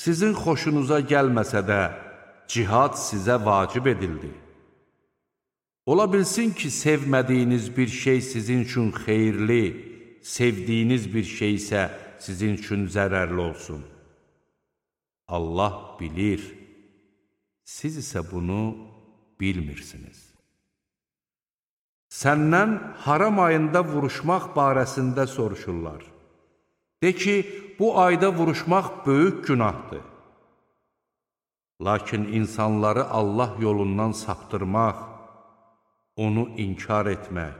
Sizin xoşunuza gəlməsə də, cihad sizə vacib edildi. Ola bilsin ki, sevmədiyiniz bir şey sizin üçün xeyirli, sevdiyiniz bir şey isə sizin üçün zərərli olsun. Allah bilir, siz isə bunu bilmirsiniz. Səndən haram ayında vuruşmaq barəsində soruşurlar. De ki, bu ayda vuruşmaq böyük günahdır. Lakin insanları Allah yolundan saptırmaq, onu inkar etmək,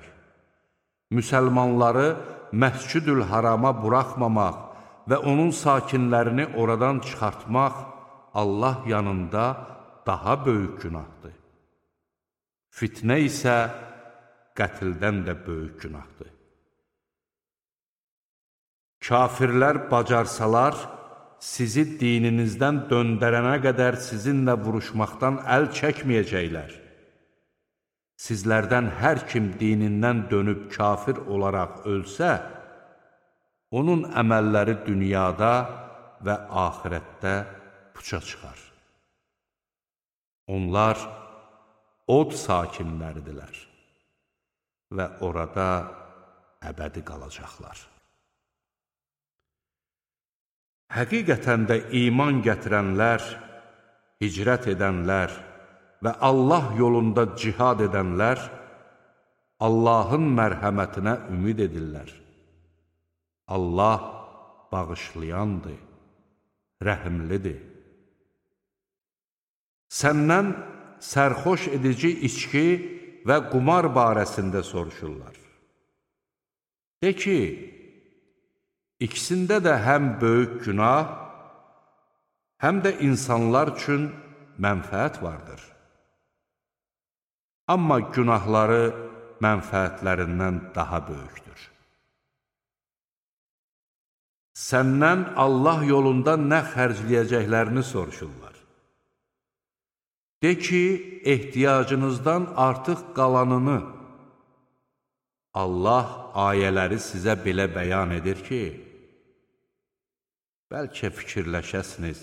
müsəlmanları Məscid-ül Harama buraxmamaq və onun sakinlərini oradan çıxartmaq Allah yanında daha böyük günahdır. Fitnə isə qətldən də böyük günahdır. Kafirlər bacarsalar, sizi dininizdən döndərənə qədər sizinlə vuruşmaqdan əl çəkməyəcəklər. Sizlərdən hər kim dinindən dönüb kafir olaraq ölsə, onun əməlləri dünyada və axirətdə puça çıxar. Onlar od sakinləridirlər və orada əbədi qalacaqlar. Həqiqətən də iman gətirənlər, hicrət edənlər və Allah yolunda cihad edənlər Allahın mərhəmətinə ümid edirlər. Allah bağışlayandır, rəhimlidir. Səndən sərxoş edici içki və qumar barəsində soruşurlar. De ki, İkisində də həm böyük günah, həm də insanlar üçün mənfəət vardır. Amma günahları mənfəətlərindən daha böyükdür. Səndən Allah yolunda nə xərcləyəcəklərini soruşurlar. De ki, ehtiyacınızdan artıq qalanını Allah ayələri sizə belə bəyan edir ki, bəlkə fikirləşəsiniz